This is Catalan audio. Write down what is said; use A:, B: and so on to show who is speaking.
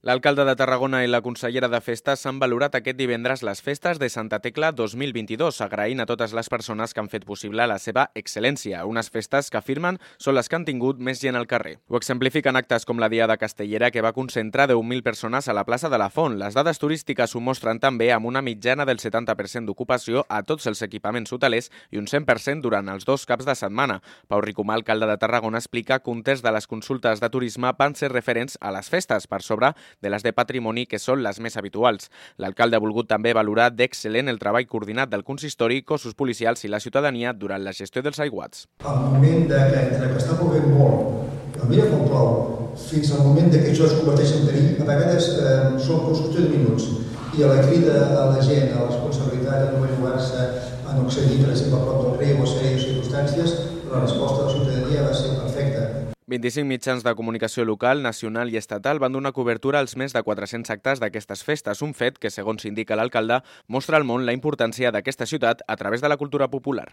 A: L'alcalde de Tarragona i la consellera de Festes s'han valorat aquest divendres les festes de Santa Tecla 2022, agraint a totes les persones que han fet possible la seva excel·lència, unes festes que afirmen són les que han tingut més gent al carrer. Ho exemplifiquen actes com la Diada Castellera, que va concentrar 10.000 persones a la plaça de la Font. Les dades turístiques ho mostren també amb una mitjana del 70% d'ocupació a tots els equipaments hotelers i un 100% durant els 2 caps de setmana. Pau Ricomà, alcalde de Tarragona, explica que un terç de les consultes de turisme van ser referents a les festes, per sobre de les de patrimoni, que són les més habituals. L'alcalde ha volgut també valorar d'excel·lent el treball coordinat del consistori, cossos policials i la ciutadania durant la gestió dels aiguats.
B: Al moment entre que està plovent molt, a mi com plou, fins al moment que això es converteix en perill, a vegades són qüestió de minuts. I a la crida a la gent, a la responsabilitat de no jugar-se a no accedir, per exemple, a prop del riu o sèries circumstàncies, la resposta de la ciutadania va ser perfecta.
A: 25 mitjans de comunicació local, nacional i estatal van donar cobertura als més de 400 actes d'aquestes festes, un fet que, segons indica l'alcalde, mostra al món la importància d'aquesta ciutat a través de la cultura popular.